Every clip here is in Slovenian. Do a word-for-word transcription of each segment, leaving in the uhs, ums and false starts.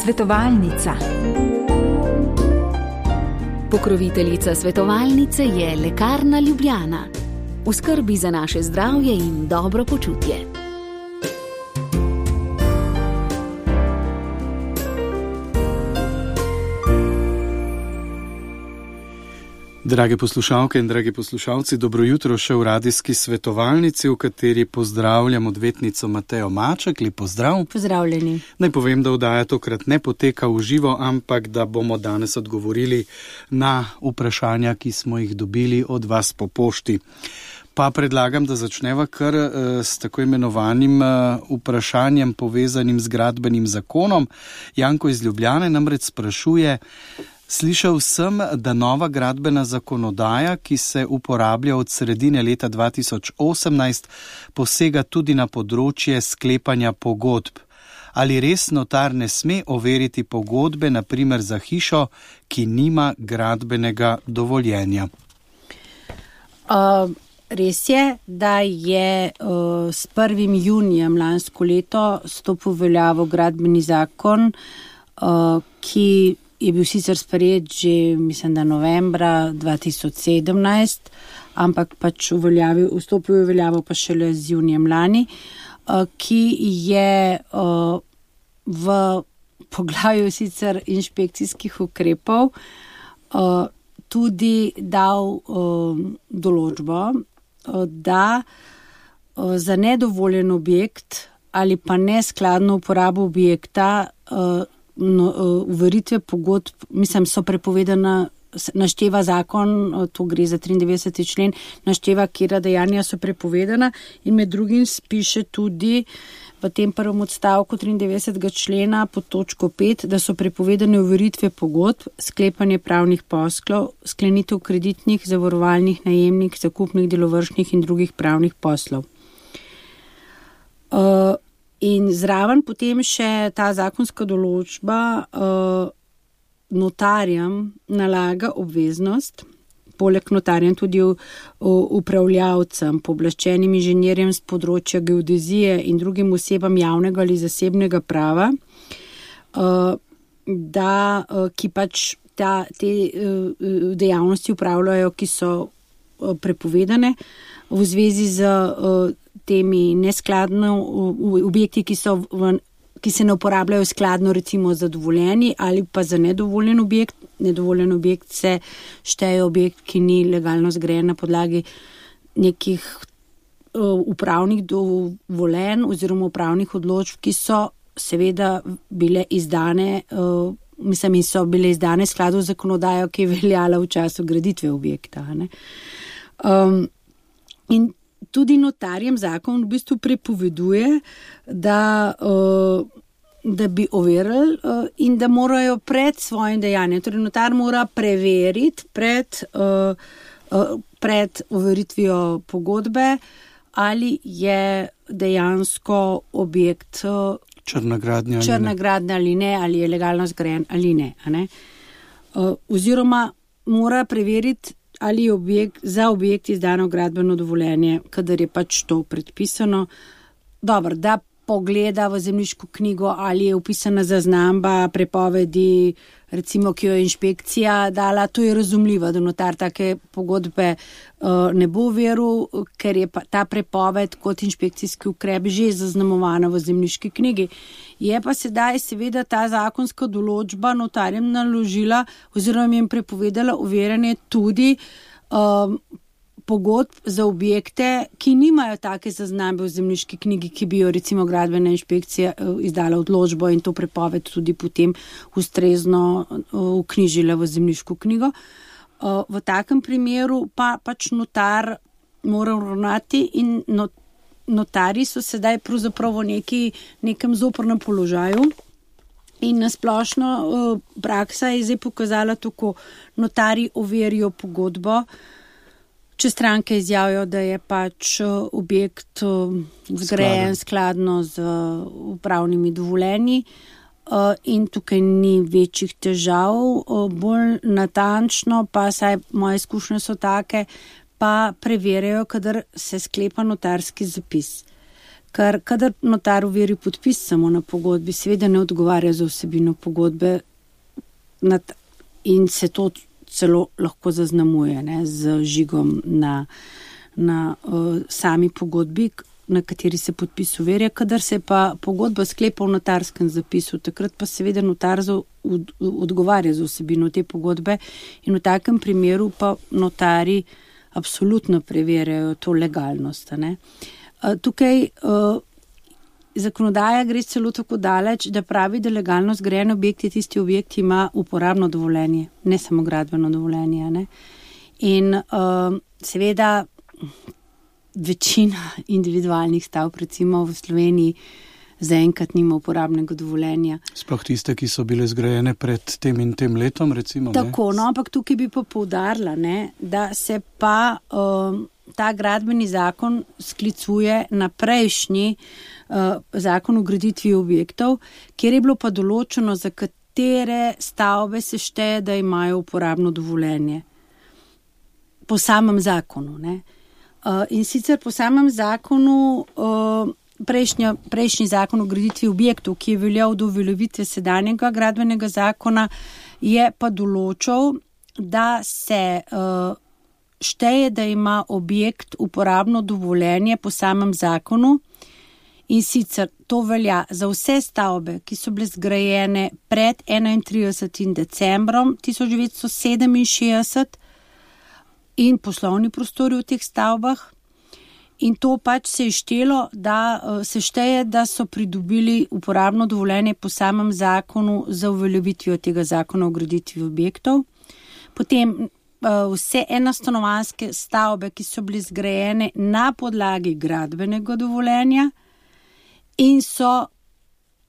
Svetovalnica. Pokroviteljica svetovalnice je Lekarna Ljubljana. V skrbi za naše zdravje in dobro počutje. Drage poslušalke in dragi poslušalci, dobro jutro še v radijski svetovalnici, v kateri pozdravljam odvetnico Matejo Maček. Lep pozdrav. Pozdravljeni. Naj povem, da oddaja tokrat ne poteka v živo, ampak da bomo danes odgovorili na vprašanja, ki smo jih dobili od vas po pošti. Pa predlagam, da začneva kar uh, s tako imenovanim uh, vprašanjem povezanim z gradbenim zakonom. Janko iz Ljubljane namreč sprašuje: slišal sem, da nova gradbena zakonodaja, ki se uporablja od sredine leta dva tisoč osemnajst, posega tudi na področje sklepanja pogodb. Ali res notar ne sme overiti pogodbe, na primer za hišo, ki nima gradbenega dovoljenja? Uh, res je, da je uh, s prvim junijem lansko leto stopil v veljavo gradbeni zakon, uh, ki je bil sicer sprejet že, mislim, da novembra dva tisoč sedemnajst, ampak pač uveljavil, vstopil v veljavo pa šele z junijem lani, ki je v poglavju sicer inšpekcijskih ukrepov tudi dal določbo, da za nedovoljen objekt ali pa neskladno uporabo objekta No, uveritve pogodb, mislim, so prepovedana, našteva zakon, to gre za triindevetdeseti člen, našteva, katera dejanja so prepovedana, in med drugim spiše tudi v tem prvem odstavku triindevetdesetega člena pod točko pet, da so prepovedane uveritve pogodb, sklepanje pravnih poslov, sklenitev kreditnih, zavarovalnih, najemnih, zakupnih, delovršnih in drugih pravnih poslov. Uh, In zraven potem še ta zakonska določba uh, notarjem nalaga obveznost, poleg notarjem tudi v, v, upravljavcem, pooblaščenim inženirjem z področja geodezije in drugim osebam javnega ali zasebnega prava, uh, da, uh, ki pač ta, te uh, dejavnosti upravljajo, ki so uh, prepovedane v zvezi z uh, temi neskladno objekti, ki, so v, ki se ne uporabljajo skladno recimo za dovoljeni ali pa za nedovoljen objekt. Nedovoljen objekt se šteje objekt, ki ni legalno zgrajen na podlagi nekih uh, upravnih dovoljenj oziroma upravnih odločb, ki so seveda bile izdane, uh, mislim, in so bile izdane v skladu z zakonodajo, ki je veljala v času graditve objekta. Ne? Um, in Tudi notarjem zakon v bistvu prepoveduje, da, uh, da bi overili uh, in da morajo pred svojim dejanjem, torej notar mora preveriti pred, uh, uh, pred overitvijo pogodbe, ali je dejansko objekt uh, črna gradnja, črna gradnja ali ne, ali je legalno zgrajen ali ne. ne? Uh, oziroma mora preveriti, ali je objekt, za objekt izdano gradbeno dovoljenje, kadar je pač to predpisano. Dobro, da pogleda v zemljiško knjigo, ali je upisana zaznamba prepovedi, recimo, ki jo je inšpekcija dala, to je razumljivo, da notar take pogodbe uh, ne bo veril, ker je pa ta prepoved kot inšpekcijski ukrep že zaznamovana v zemljiški knjigi. Je pa sedaj seveda ta zakonska določba notarjem naložila oziroma jim prepovedala overjanje tudi um, pogodb za objekte, ki nimajo take zaznambe v zemljiški knjigi, ki bi jo recimo gradbena inšpekcija izdala odločbo in to prepoved tudi potem ustrezno vknjižila v zemljiško knjigo. V takem primeru pa pač notar mora ravnati in notari so sedaj pravzaprav v neki, nekem zoprnem položaju. In nasplošno praksa je zdaj pokazala tako, notari overijo pogodbo, če stranke izjavijo, da je pač objekt zgrajen skladno z upravnimi dovoljenji in tukaj ni večjih težav. Bolj natančno pa, saj moje izkušnje so take, pa preverjajo, kadar se sklepa notarski zapis. Ker kadar notar overi podpis samo na pogodbi, seveda ne odgovarja za vsebino pogodbe in se to celo lahko zaznamuje, ne, z žigom na, na uh, sami pogodbi, na kateri se podpis overja. Kadar se pa pogodba sklepa v notarskem zapisu, takrat pa seveda notar za, od, odgovarja za vsebino te pogodbe in v takem primeru pa notari absolutno preverjajo to legalnost. Ne. Tukaj uh, zakonodaja gre celo tako daleč, da pravi, da legalno zgrajen objekt je tisti objekt, ki ima uporabno dovoljenje, ne samo gradbeno dovoljenje. Ne. In uh, seveda večina individualnih stavb, recimo v Sloveniji, zaenkrat nima uporabnega dovoljenja. Sploh tiste, ki so bile zgrajene pred tem in tem letom, recimo. Tako, ne? No, ampak tukaj bi pa poudarila, ne, da se pa um, ta gradbeni zakon sklicuje na prejšnji uh, zakon o graditvi objektov, kjer je bilo pa določeno, za katere stavbe se šteje, da imajo uporabno dovoljenje. Po samem zakonu, ne. Uh, in sicer po samem zakonu uh, Prejšnja, prejšnji zakon o graditvi objektov, ki je veljal do uveljavitve sedanjega gradbenega zakona, je pa določal, da se uh, šteje, da ima objekt uporabno dovoljenje po samem zakonu, in sicer to velja za vse stavbe, ki so bile zgrajene pred enaintridesetim decembrom tisoč devetsto sedeminšestdeset in poslovni prostori v teh stavbah. In to pač se je štelo, da se šteje, da so pridobili uporabno dovoljenje po samem zakonu za uveljavitvijo tega zakona o graditvi objektov. Potem vse enostanovanjske stavbe, ki so bile zgrajene na podlagi gradbenega dovoljenja in so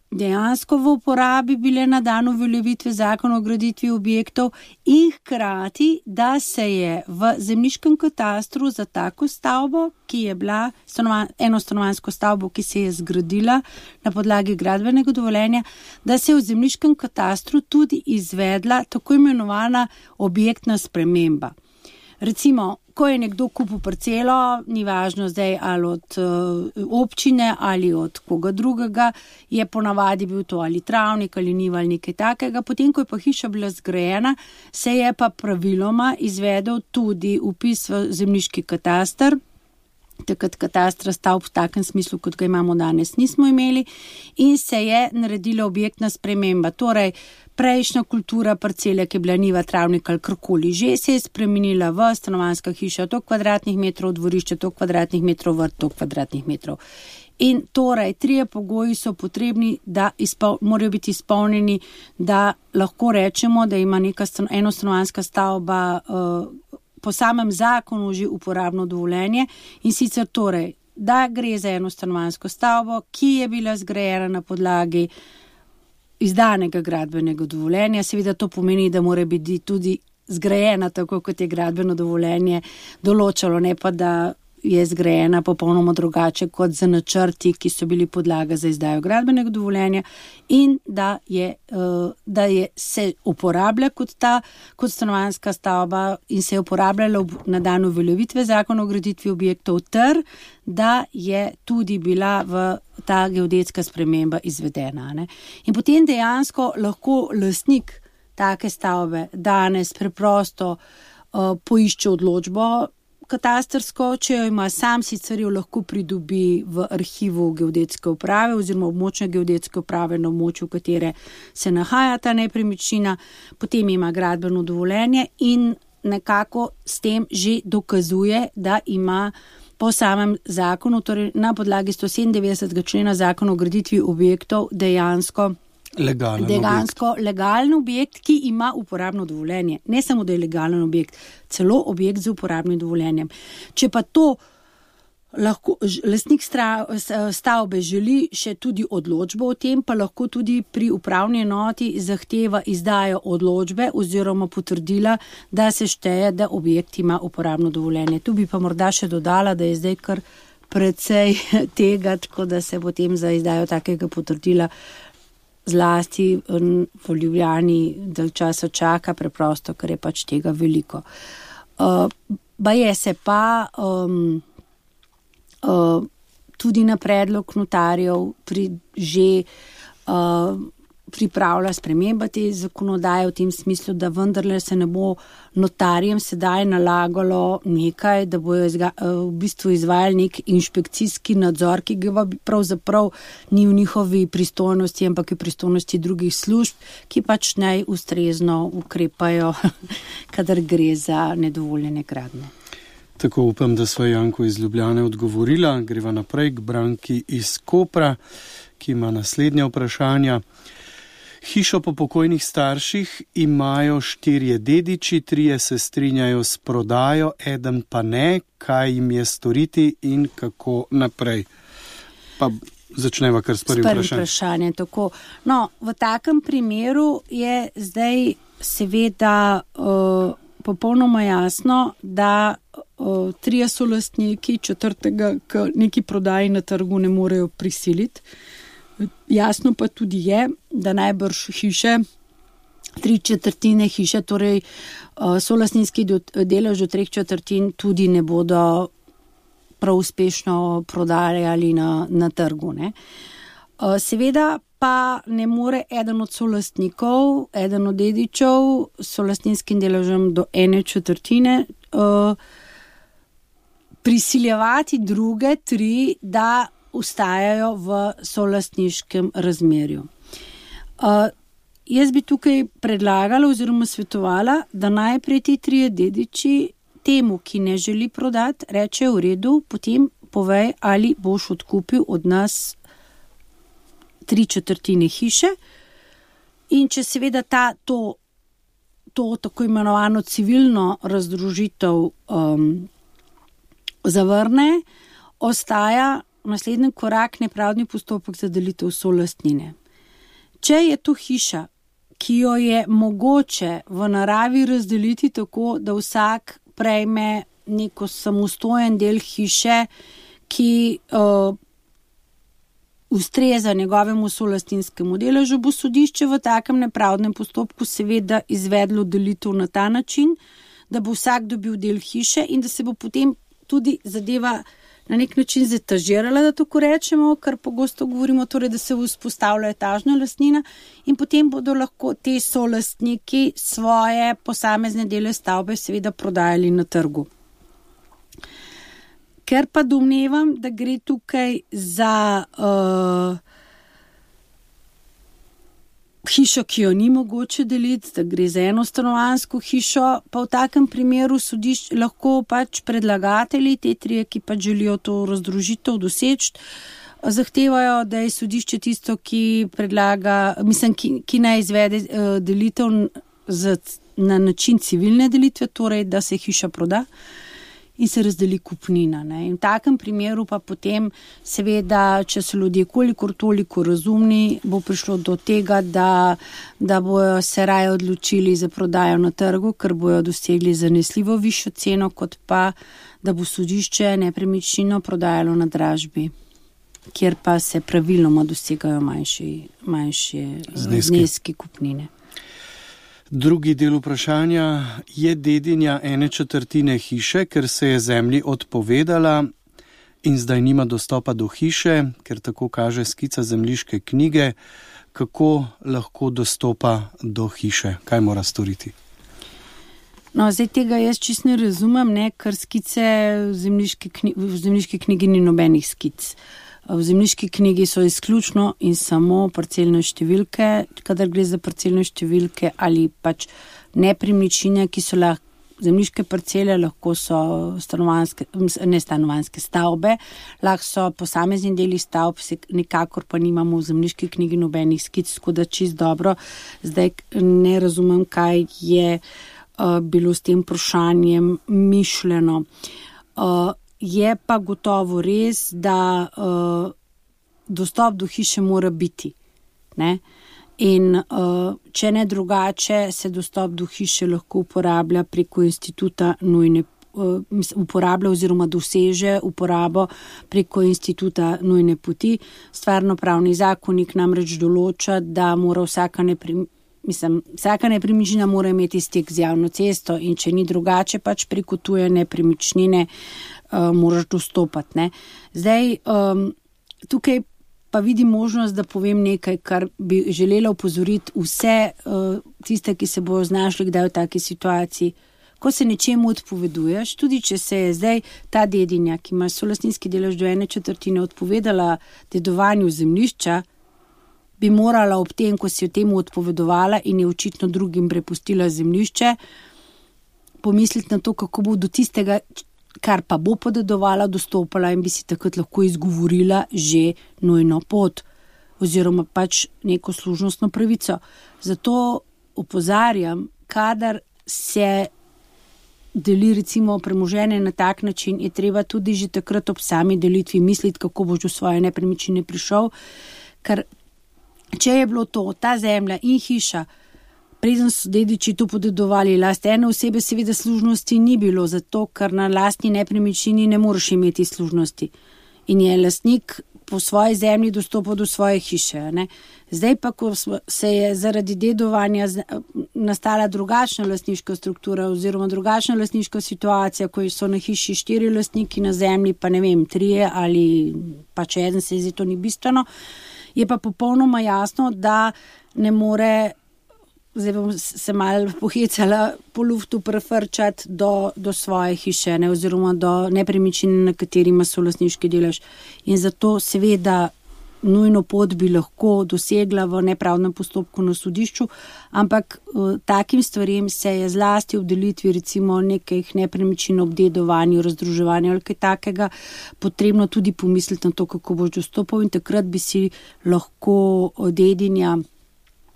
dejansko v uporabi bile na dan uveljavitve zakona o graditvi objektov, in hkrati, da se je v zemljiškem katastru za tako stavbo, ki je bila stanovan, enostanovanjsko stavbo, ki se je zgradila na podlagi gradbenega dovoljenja, da se je v zemljiškem katastru tudi izvedla tako imenovana objektna sprememba. Recimo, ko je nekdo kupil parcelo, ni važno zdaj ali od uh, občine ali od koga drugega, je ponavadi bil to ali travnik ali njiva ali nekaj takega. Potem, ko je pa hiša bila zgrajena, se je pa praviloma izvedel tudi vpis v zemljiški katastar. Takrat katastra stavb v takem smislu, kot ga imamo danes, nismo imeli, in se je naredila objektna sprememba. Torej, prejšnja kultura parcele, ki je bila njiva, travnik ali karkoli že, se je spremenila v stanovanjska hiša, toliko kvadratnih metrov, dvorišče, toliko kvadratnih metrov, vrt, toliko kvadratnih metrov. In torej, trije pogoji so potrebni, da izpol, morajo biti izpolnjeni, da lahko rečemo, da ima neka stan, enostanovanjska stavba uh, po samem zakonu že uporabno dovoljenje, in sicer torej, da gre za enostanovanjsko stavbo, ki je bila zgrajena na podlagi izdanega gradbenega dovoljenja. Seveda to pomeni, da mora biti tudi zgrajena tako, kot je gradbeno dovoljenje določalo, ne pa da je zgrajena popolnoma drugače kot za načrti, ki so bili podlaga za izdajo gradbenega dovoljenja, in da je, da je se uporablja kot ta, kot stanovanjska stavba in se je uporabljala na dan uveljavitve zakona o graditvi objektov, ter da je tudi bila v ta geodetska sprememba izvedena. Ne? In potem dejansko lahko lastnik take stavbe danes preprosto uh, poišče odločbo katastrsko, če jo ima sam, sicer jo lahko pridobi v arhivu geodetske uprave oziroma območne geodetske uprave na območju, v katere se nahaja ta nepremičnina, potem ima gradbeno dovoljenje in nekako s tem že dokazuje, da ima po samem zakonu, torej na podlagi stosedemindevetdesetega člena zakona o graditvi objektov, dejansko Legalen dejansko objekt. legalen objekt, ki ima uporabno dovoljenje. Ne samo, da je legalen objekt, celo objekt z uporabnim dovoljenjem. Če pa to lahko lastnik stavbe želi še tudi odločbo o tem, pa lahko tudi pri upravni enoti zahteva izdajo odločbe oziroma potrdila, da se šteje, da objekt ima uporabno dovoljenje. Tu bi pa morda še dodala, da je zdaj kar precej tega, tako da se potem za izdajo takega potrdila zlasti v Ljubljani del časa čaka, preprosto, ker je pač tega veliko. Uh, baje se pa um, uh, tudi na predlog notarjev pri, že uh, pripravlja sprememba te zakonodaje v tem smislu, da vendarle se ne bo notarjem sedaj nalagalo nekaj, da bojo izga, v bistvu izvajali nek inšpekcijski nadzor, ki ga pravzaprav ni v njihovi pristojnosti, ampak v pristojnosti drugih služb, ki pač naj ustrezno ukrepajo, kadar gre za nedovoljene gradnje. Tako upam, da sva Janko iz Ljubljane odgovorila. Greva naprej k Branki iz Kopra, ki ima naslednja vprašanja. Hišo po pokojnih starših imajo štirje dediči, trije se strinjajo s prodajo, eden pa ne. Kaj jim je storiti in kako naprej? Pa začneva kar s prvim vprašanjem. vprašanje tako. No, v takem primeru je zdaj seveda uh, popolnoma jasno, da uh, trije solastniki četrtega k neki prodaji na trgu ne morejo prisiliti. Jasno pa tudi je, da najbrž hiše, tri četrtine hiše, torej solastninski delež od treh četrtin tudi ne bodo prav uspešno prodajali na, na trgu. Ne. Seveda pa ne more eden od solastnikov, eden od dedičev s solastninskim deležem do ene četrtine prisiljevati druge tri, da ustajajo v solastniškem razmerju. Uh, jaz bi tukaj predlagala oziroma svetovala, da najprej ti trije dediči temu, ki ne želi prodati, reče v redu, potem povej, ali boš odkupil od nas tri četrtine hiše in če seveda ta, to, to tako imenovano civilno razdružitev um, zavrne, ostaja naslednji korak nepravdni postopek za delitev solastnine. Če je to hiša, ki jo je mogoče v naravi razdeliti tako, da vsak prejme neko samostojen del hiše, ki uh, ustreza njegovemu solastninskemu deležu, bo sodišče v takem nepravdnem postopku seveda izvedlo delitev na ta način, da bo vsak dobil del hiše in da se bo potem tudi zadeva na nek način zetažirala, da tako rečemo, kar pogosto govorimo, torej, da se vzpostavlja etažna lastnina in potem bodo lahko te solastniki svoje posamezne dele stavbe seveda prodajali na trgu. Ker pa domnevam, da gre tukaj za uh, hišo, ki jo ni mogoče deliti, da gre za enostanovanjsko hišo, pa v takem primeru sodišč lahko pač predlagatelji, te trije, ki pač želijo to razdružitev doseči, zahtevajo, da je sodišče tisto, ki predlaga, mislim, ki, ki naj izvede uh, delitev z, na način civilne delitve, torej, da se hiša proda in se razdeli kupnina. Ne. In v takem primeru pa potem seveda, če so ljudje kolikor toliko razumni, bo prišlo do tega, da, da bojo se raje odločili za prodajo na trgu, ker bojo dosegli zanesljivo višjo ceno, kot pa, da bo sodišče nepremičnino prodajalo na dražbi, kjer pa se praviloma dosegajo manjši, manjši zneski. zneski kupnine. Drugi del vprašanja je dedinja ene četrtine hiše, ker se je zemlji odpovedala in zdaj nima dostopa do hiše, ker tako kaže skica zemljiške knjige. Kako lahko dostopa do hiše? Kaj mora storiti? No, zdaj tega jaz čisto ne razumem, ne, ker skice v zemljiški knjigi, v zemljiški knjigi ni nobenih skic. V zemljiški knjigi so izključno in samo parcelne številke, kadar gre za parcelne številke ali pač nepremičnine, ki so lahko zemljiške parcele, lahko so stanovanjske, ne stanovanjske stavbe, lahko so posamezni deli stavb, nikakor pa nimamo v zemljiški knjigi nobenih skic, tako da čisto dobro. Zdaj ne razumem, kaj je uh, bilo s tem vprašanjem mišljeno. Uh, Je pa gotovo res, da uh, dostop do hiše mora biti. Ne? In uh, če ne drugače, se dostop do hiše lahko uporablja preko instituta nujne, uh, uporablja oziroma doseže uporabo preko instituta nujne poti. Stvarnopravni zakonik namreč določa, da mora vsaka neprim, mislim, vsaka nepremičnina mora imeti stik z javno cesto in če ni drugače, pač preko tuje nepremičnine uh, moraš dostopati. Ne. Zdaj, um, tukaj pa vidim možnost, da povem nekaj, kar bi želela upozoriti vse uh, tiste, ki se bojo znašli kdaj v taki situaciji. Ko se nečemu odpoveduješ, tudi če se je zdaj ta dedinja, ki ima solastninski delež do ene četrtine, odpovedala dedovanju zemljišča, bi morala ob tem, ko si jo temu odpovedovala in je očitno drugim prepustila zemljišče, pomisliti na to, kako bo do tistega, kar pa bo podedovala, dostopala in bi si takrat lahko izgovorila že nujno pot oziroma pač neko služnostno pravico. Zato opozarjam, kadar se deli recimo premoženje na tak način, je treba tudi že takrat ob sami delitvi misliti, kako boš do svoje nepremičnine prišel, ker če je bilo to, ta zemlja in hiša, preden so dediči to podedovali, last ene osebe seveda služnosti ni bilo, zato ker na lastni nepremičnini ne moreš imeti služnosti in je lastnik po svoji zemlji dostopal do svoje hiše. Ne? Zdaj pa, ko se je zaradi dedovanja nastala drugačna lastniška struktura oziroma drugačna lastniška situacija, ko so na hiši štiri lastniki, na zemlji pa ne vem, trije ali pa če eden, se zdi to ni bistveno, je pa popolnoma jasno, da ne more, zdaj bom se malo pohecala, po luftu prefrčati do, do svoje hiše, ne, oziroma do nepremičnine, na kateri ima solastniški delež. In zato seveda nujno pot bi lahko dosegla v nepravdnem postopku na sodišču, ampak uh, takim stvarem se je zlasti v delitvi recimo nekih nepremičnin, obdedovanju, razdruževanju ali kaj takega potrebno tudi pomisliti na to, kako boš dostopal, in takrat bi si lahko dedinja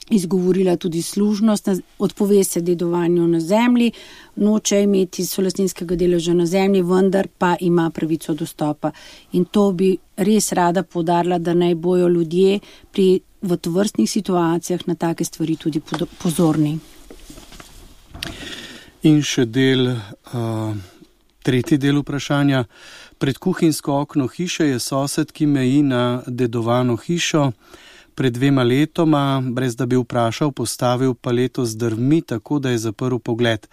izgovorila tudi služnost, odpove se dedovanju na zemlji, noče imeti solastninskega deleža na zemlji, vendar pa ima pravico dostopa. In to bi res rada poudarila, da naj bojo ljudje pri v tovrstnih situacijah na take stvari tudi pozorni. In še del, uh, tretji del vprašanja. Pred kuhinjsko okno hiše je sosed, ki meji na dedovano hišo. Pred dvema letoma, brez da bi vprašal, postavil paleto z drvmi, tako da je zaprl pogled.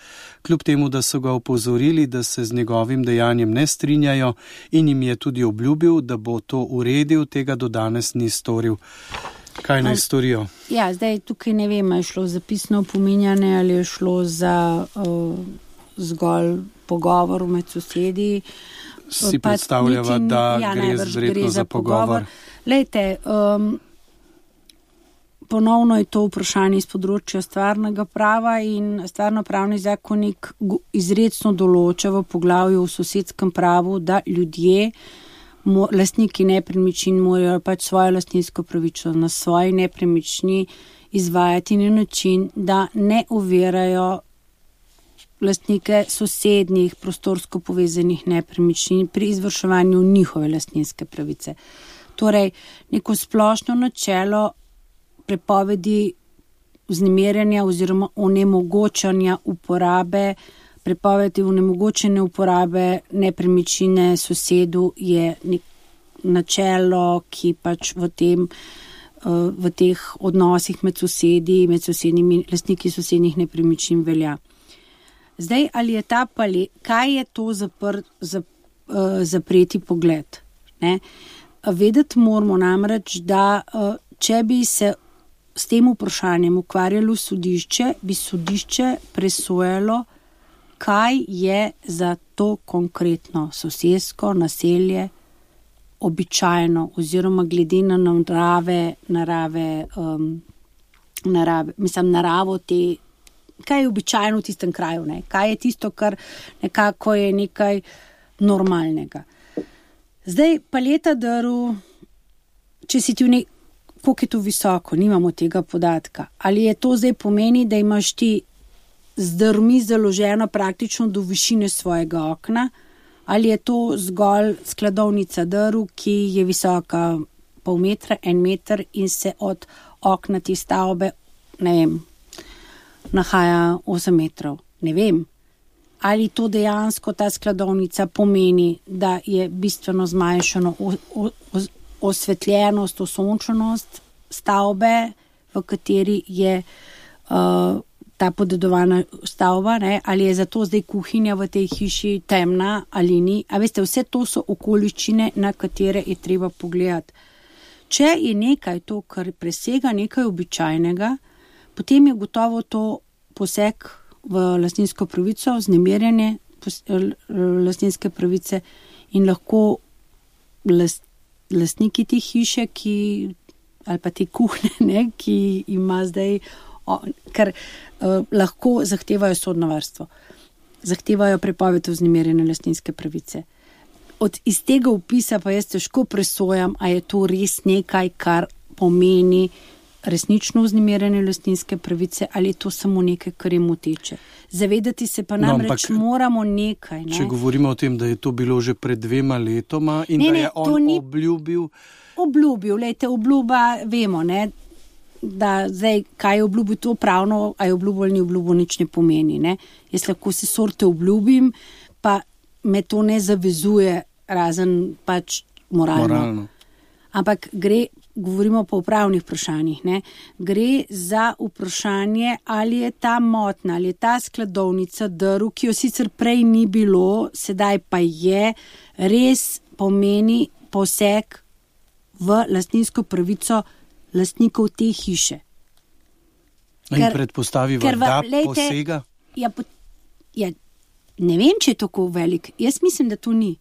Kljub temu, da so ga opozorili, da se z njegovim dejanjem ne strinjajo, in jim je tudi obljubil, da bo to uredil, tega do danes ni storil. Kaj naj storijo? Ja, zdaj tukaj ne vem, je šlo za pisno opominjanje ali je šlo za uh, zgolj pogovor med sosedi. Si pa predstavljava, niti, da ja, gre zredno za, za pogovor. pogovor. Lejte, um, ponovno je to vprašanje iz področja stvarnega prava in stvarnopravni zakonik izrecno določa v poglavju v sosedskem pravu, da ljudje, lastniki nepremičnin, morajo pač svojo lastninsko pravico na svoji nepremični izvajati na način, da ne ovirajo lastnike sosednjih prostorsko povezanih nepremičnin pri izvrševanju njihove lastninske pravice. Torej, neko splošno načelo prepovedi vznemirjanja oziroma onemogočanja uporabe, prepovedi onemogočene uporabe nepremičnine sosedu je načelo, ki pač v tem, v teh odnosih med sosedi, med sosednjimi lastniki sosednjih nepremičnin velja. Zdaj, ali je ta palet, kaj je to zapr, zap, zapreti pogled? Ne? Vedeti moramo namreč, da če bi se s tem vprašanjem ukvarjalo sodišče, bi sodišče presojalo, kaj je za to konkretno sosedsko naselje običajno oziroma glede na narave, narave, um, narave, mislim, naravo te, kaj je običajno v tistem kraju, ne? Kaj je tisto, kar nekako je nekaj normalnega. Zdaj, paleta drv, če si ti v nek, koliko je to visoko, nimamo tega podatka. Ali je to zdaj pomeni, da imaš ti z drvmi založeno praktično do višine svojega okna, ali je to zgolj skladovnica drv, ki je visoka pol metra, en meter in se od okna te stavbe, ne vem, nahaja osem metrov. Ne vem. Ali to dejansko ta skladovnica pomeni, da je bistveno zmanjšano o, o, o, osvetljenost, osončenost stavbe, v kateri je uh, ta podedovana stavba, ne, ali je zato zdaj kuhinja v tej hiši temna ali ni. A veste, vse to so okoliščine, na katere je treba pogledati. Če je nekaj to, kar presega nekaj običajnega, potem je gotovo to poseg v lastninsko pravico, vznemirjanje lastninske pravice in lahko last, lastniki te hiše, ki, ali pa te kuhne, ne, ki ima zdaj, o, ker uh, lahko zahtevajo sodno varstvo, zahtevajo prepoved vznemirjene lastninske pravice. Od iz tega opisa pa jaz težko presojam, a je to res nekaj, kar pomeni resnično vznemirjene lastninske pravice, ali je to samo nekaj, kar je moteče. Zavedati se pa namreč no, moramo nekaj. Ne? Če govorimo o tem, da je to bilo že pred dvema letoma in ne, da je ne, on ni obljubil... Obljubil, lejte, obljuba, vemo, ne, da zdaj, kaj je obljubil to pravno, a je obljubil ali ni obljubil, nič ne pomeni. Ne? Jaz lahko se sorte obljubim, pa me to ne zavezuje, razen pač moralno. moralno. Ampak gre, govorimo pa o pravnih vprašanjih, ne? Gre za vprašanje, ali je ta motna, ali je ta skladovnica drv, ki jo sicer prej ni bilo, sedaj pa je, res pomeni poseg v lastninsko pravico lastnikov te hiše. In ker, predpostavi ker da lejte, posega? Ja, po, ja, ne vem, če je tako velik. Jaz mislim, da to ni.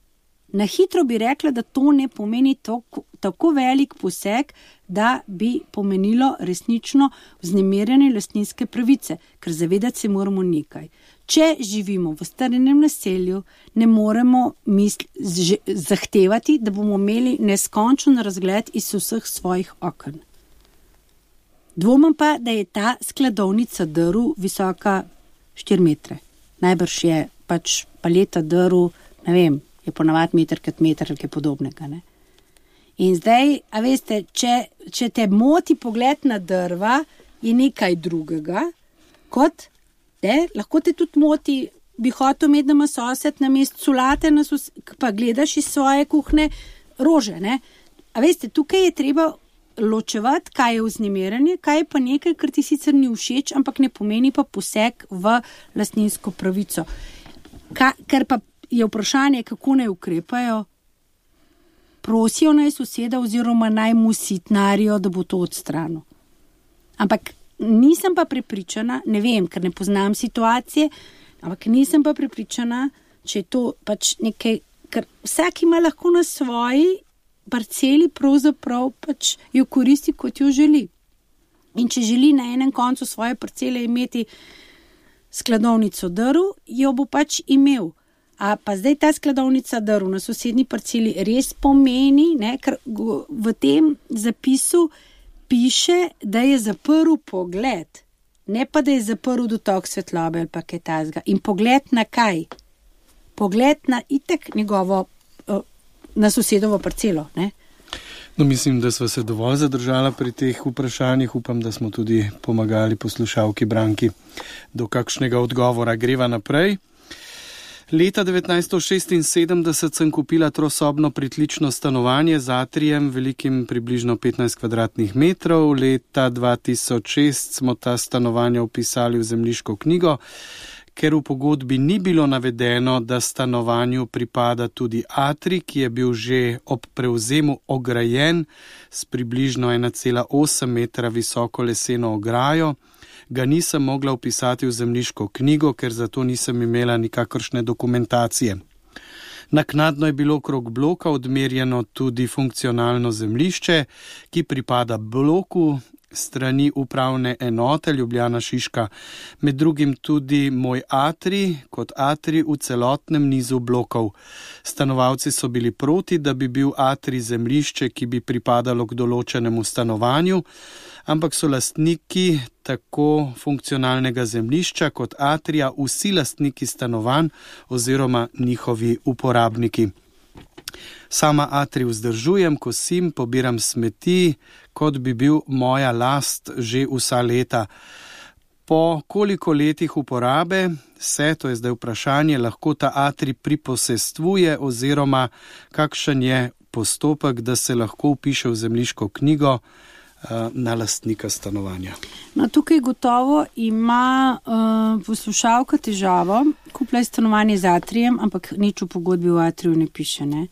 Na hitro bi rekla, da to ne pomeni tako, tako velik poseg, da bi pomenilo resnično vznemirjene lastninske pravice, ker zavedati se moramo nekaj. Če živimo v starenem naselju, ne moremo misl, z, zahtevati, da bomo imeli neskončen razgled iz vseh svojih okn. Dvomim pa, da je ta skladovnica drv visoka štiri metre. Najbrž je pač paleta drv, ne vem, je ponavadi meter kot meter ali kaj podobnega. Ne? In zdaj, a veste, če, če te moti pogled na drva, je nekaj drugega, kot, ne, lahko te tudi moti, bi hotel imeti, da ima sosed na mestu solate, na sos, pa gledaš iz svoje kuhne rože. Ne? A veste, tukaj je treba ločevati, kaj je vznemirjanje, kaj je pa nekaj, kar ti sicer ni všeč, ampak ne pomeni pa poseg v lastninsko pravico. Ka, ker pa je vprašanje, kako naj ukrepajo, prosijo naj soseda oziroma naj mu sitnarijo, da bo to odstranil. Ampak nisem pa prepričana, ne vem, ker ne poznam situacije, ampak nisem pa prepričana, če je to pač nekaj, ker vsak ima lahko na svoji parceli pravzaprav pač jo koristi, kot jo želi. In če želi na enem koncu svoje parcele imeti skladovnico drv, jo bo pač imel. A pa zdaj ta skladovnica drv na sosednji parceli res pomeni, ne, ker v tem zapisu piše, da je zaprl pogled, ne pa da je zaprl dotok svetlobe ali pa kaj tazga. In pogled na kaj? Pogled na itek njegovo, na sosedovo parcelo, ne? No, mislim, da sva se dovolj zadržala pri teh vprašanjih. Upam, da smo tudi pomagali poslušalki Branki do kakšnega odgovora. Greva naprej. Leta devetnajststo šestinsedemdeset sem kupila trosobno pritlično stanovanje z atrijem, velikim približno petnajst kvadratnih metrov. Leta dva tisoč šest smo ta stanovanja vpisali v zemljiško knjigo, ker v pogodbi ni bilo navedeno, da stanovanju pripada tudi atrij, ki je bil že ob prevzemu ograjen s približno ena cela osem metra visoko leseno ograjo. Ga nisem mogla vpisati v zemljiško knjigo, ker zato nisem imela nikakršne dokumentacije. Naknadno je bilo okrog bloka odmerjeno tudi funkcionalno zemljišče, ki pripada bloku strani upravne enote Ljubljana Šiška, med drugim tudi moj atrij kot atrij v celotnem nizu blokov. Stanovalci so bili proti, da bi bil atrij zemljišče, ki bi pripadalo k določenemu stanovanju, ampak so lastniki tako funkcionalnega zemljišča kot atrija vsi lastniki stanovanj oziroma njihovi uporabniki. Sama atrij vzdržujem, kosim, pobiram smeti, kot bi bil moja last že vsa leta. Po koliko letih uporabe se, to je zdaj vprašanje, lahko ta atrij priposestvuje oziroma kakšen je postopek, da se lahko vpiše v zemljiško knjigo na lastnika stanovanja. No, tukaj gotovo ima uh, poslušalka težavo, kupila je stanovanje z atrijem, ampak nič v pogodbi v atriju ne piše. Ne?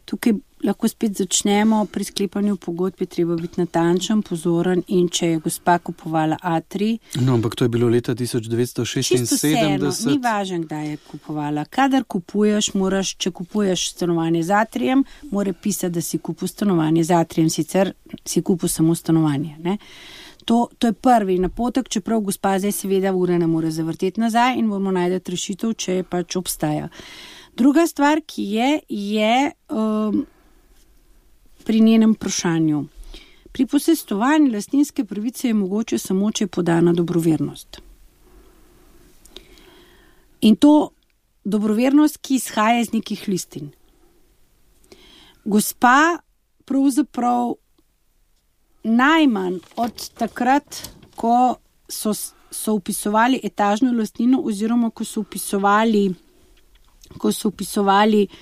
Tukaj lahko spet začnemo pri sklepanju pogodbe, treba biti natančen, pozoren in če je gospa kupovala atrij. No, ampak to je bilo leta tisoč devetsto šestinsedemdeset. Čisto vseeno, ni važno, kdaj je kupovala. Kadar kupuješ, moraš, če kupuješ stanovanje z atrijem, mora pisati, da si kupil stanovanje z atrijem, sicer si kupil samo stanovanje. Ne? To, to je prvi napotek, čeprav gospa zdaj seveda ure ne more zavrteti nazaj in moramo najti rešitev, če je pač obstaja. Druga stvar, ki je, je um, pri njenem vprašanju. Pri posestovanju lastninske pravice je mogoče samo, če je podana dobrovernost. In to dobrovernost, ki izhaja iz nekih listin. Gospa pravzaprav najmanj od takrat, ko so, so upisovali etažno lastnino oziroma ko so upisovali, ko so upisovali uh,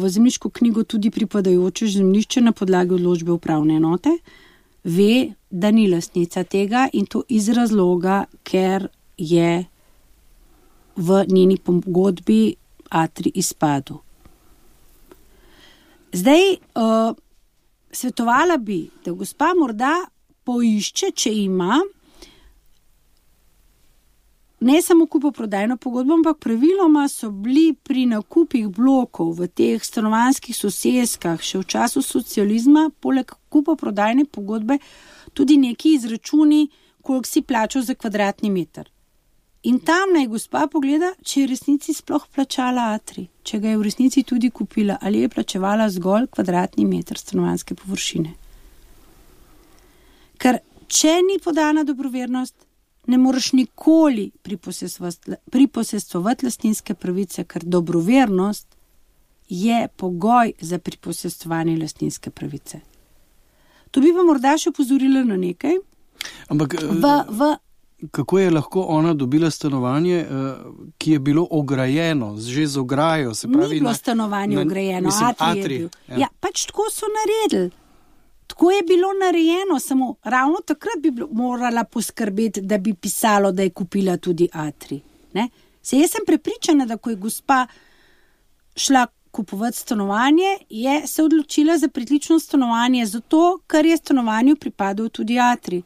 v zemljiško knjigo tudi pripadajoče zemljišče na podlagi odločbe upravne enote, ve, da ni lastnica tega in to iz razloga, ker je v njeni pogodbi atrij izpadel. Zdaj, uh, svetovala bi, da gospa morda poišče, če ima ne samo kupoprodajno pogodbo, ampak praviloma so bili pri nakupih blokov v teh stanovanjskih soseskah še v času socializma, poleg kupoprodajne pogodbe, tudi neki izračuni, koliko si plačal za kvadratni meter. In tam naj gospa pogleda, če je v resnici sploh plačala atrij, če ga je v resnici tudi kupila, ali je plačevala zgolj kvadratni meter stanovanjske površine. Ker če ni podana dobrovernost, ne moreš nikoli priposestovati lastninske pravice, ker dobrovernost je pogoj za priposestovanje lastninske pravice. To bi pa morda še opozorila na nekaj. Ampak v, v, kako je lahko ona dobila stanovanje, ki je bilo ograjeno, že z ograjo? Se pravi, ni bilo na, stanovanje na, ograjeno, mislim, atrij atrij, je bil. ja. Ja, pač tako so naredili. Tako je bilo narejeno, samo ravno takrat bi morala poskrbeti, da bi pisalo, da je kupila tudi atrij. Ne? Se jaz sem prepričana, da ko je gospa šla kupovati stanovanje, je se odločila za pritlično stanovanje, zato, ker je stanovanju pripadal tudi atrij.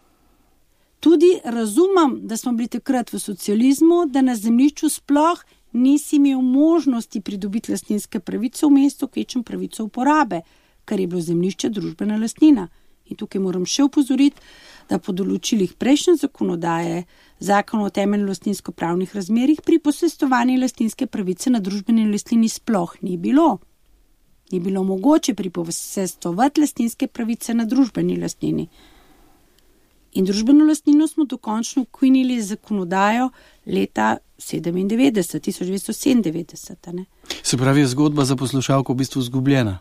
Tudi razumem, da smo bili takrat v socializmu, da na zemljišču sploh nisi imel možnosti pridobiti lastninske pravice v mestu, kvečem pravico uporabe, ker je bilo zemljišče družbena lastnina. In tukaj moram še opozoriti, da po določilih prejšnje zakonodaje, zakon o temeljno lastninsko-pravnih razmerjih, pri posestovanju lastninske pravice na družbeni lastnini sploh ni bilo. Ni bilo mogoče priposestovati lastninske pravice na družbeni lastnini. In družbeno lastnino smo dokončno ukinili z zakonodajo leta sedemindevetdeset, tisoč devetsto sedemindevetdeset. Ne? Se pravi, je zgodba za poslušalko v bistvu izgubljena?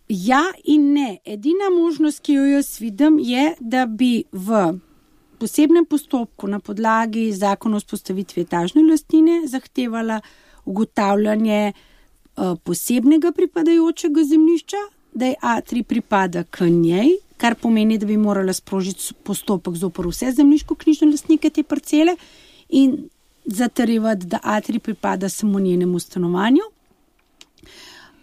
Ja in ne. Edina možnost, ki jo jaz vidim, je, da bi v posebnem postopku na podlagi zakona o vzpostavitvi etažne lastnine zahtevala ugotavljanje uh, posebnega pripadajočega zemljišča, da je atrij pripada k njej, kar pomeni, da bi morala sprožiti postopek zoper vse zemljiško-knjižne lastnike te parcele in zatrjevati, da atrij pripada samo njenemu stanovanju.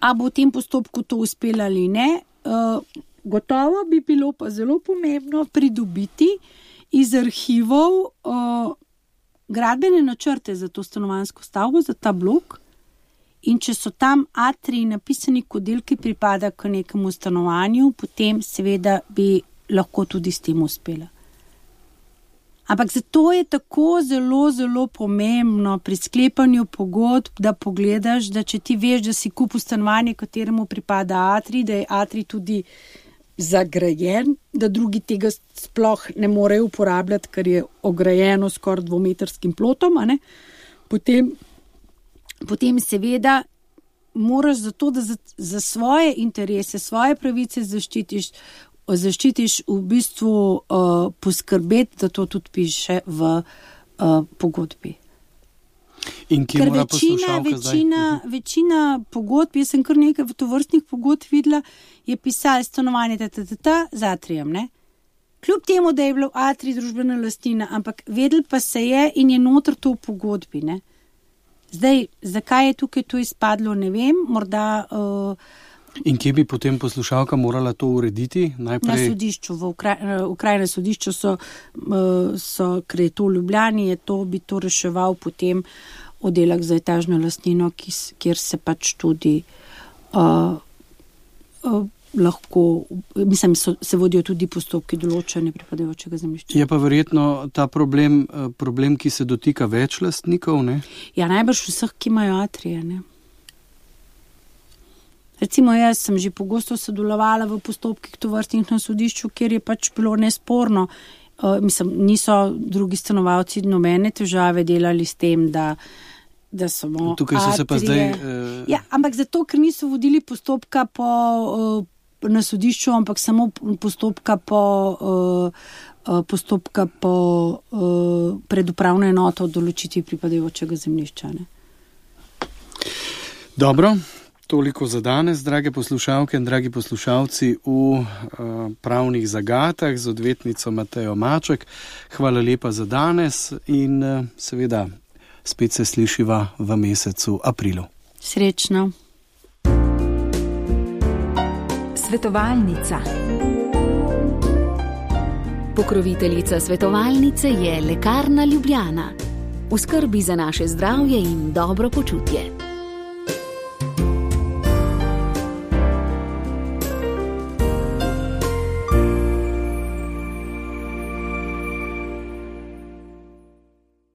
A bo v tem postopku to uspelo ali ne, uh, gotovo bi bilo pa zelo pomembno pridobiti iz arhivov uh, gradbene načrte za to stanovanjsko stavbo, za ta blok. In če so tam atriji napisani kot del, ki pripada k nekemu stanovanju, potem seveda bi lahko tudi s tem uspela. Ampak zato je tako zelo, zelo pomembno pri sklepanju pogodb, da pogledaš, da če ti veš, da si kupil stanovanje, kateremu pripada atrij, da je atrij tudi zagrajen, da drugi tega sploh ne morejo uporabljati, ker je ograjeno skoraj dvometrskim plotom, a ne? Potem, potem seveda moraš za to, da za, za svoje interese, svoje pravice zaščitiš, zaščitiš v bistvu uh, poskrbeti, da to tudi piše v uh, pogodbi. In kje mora poslušalka večina, zdaj? Uh-huh. večina pogodb, jaz sem kar nekaj tovrstnih pogodb videla, je pisalo stanovanje tata z atrijem, ne? Kljub temu, da je bilo atrij družbena lastnina, ampak vedel pa se je in je noter to v pogodbi, ne? Zdaj, zakaj je tukaj to izpadlo, ne vem, morda... Uh, In kje bi potem poslušalka morala to urediti? Najprej... Na sodišču, v okrajnem sodišču so, so, ker je to v Ljubljani, je to, bi to reševal potem oddelek za etažno lastnino, kjer se pač tudi uh, uh, lahko, mislim, so, se vodijo tudi postopki določene pripadajočega zemljišča. Je pa verjetno ta problem, problem, ki se dotika več lastnikov, ne? Ja, najbrž vseh, ki imajo atrije, ne? Recimo, jaz sem že pogosto sodelovala v postopkih tovrstnih na sodišču, kjer je pač bilo nesporno. Uh, mislim, niso drugi stanovalci nobene težave delali s tem, da, da smo tukaj so se pa zdaj... Uh... Ja, ampak zato, ker niso vodili postopka po, uh, na sodišču, ampak samo postopka po, uh, postopka po uh, predupravno enoto o določitvi pripadajočega zemljišča. Ne? Dobro. Toliko za danes, drage poslušalke in dragi poslušalci v uh, pravnih zagatah z odvetnico Matejo Maček. Hvala lepa za danes in uh, seveda spet se slišiva v mesecu aprilu. Srečno. Svetovalnica. Pokroviteljica svetovalnice je Lekarna Ljubljana. V skrbi za naše zdravje in dobro počutje.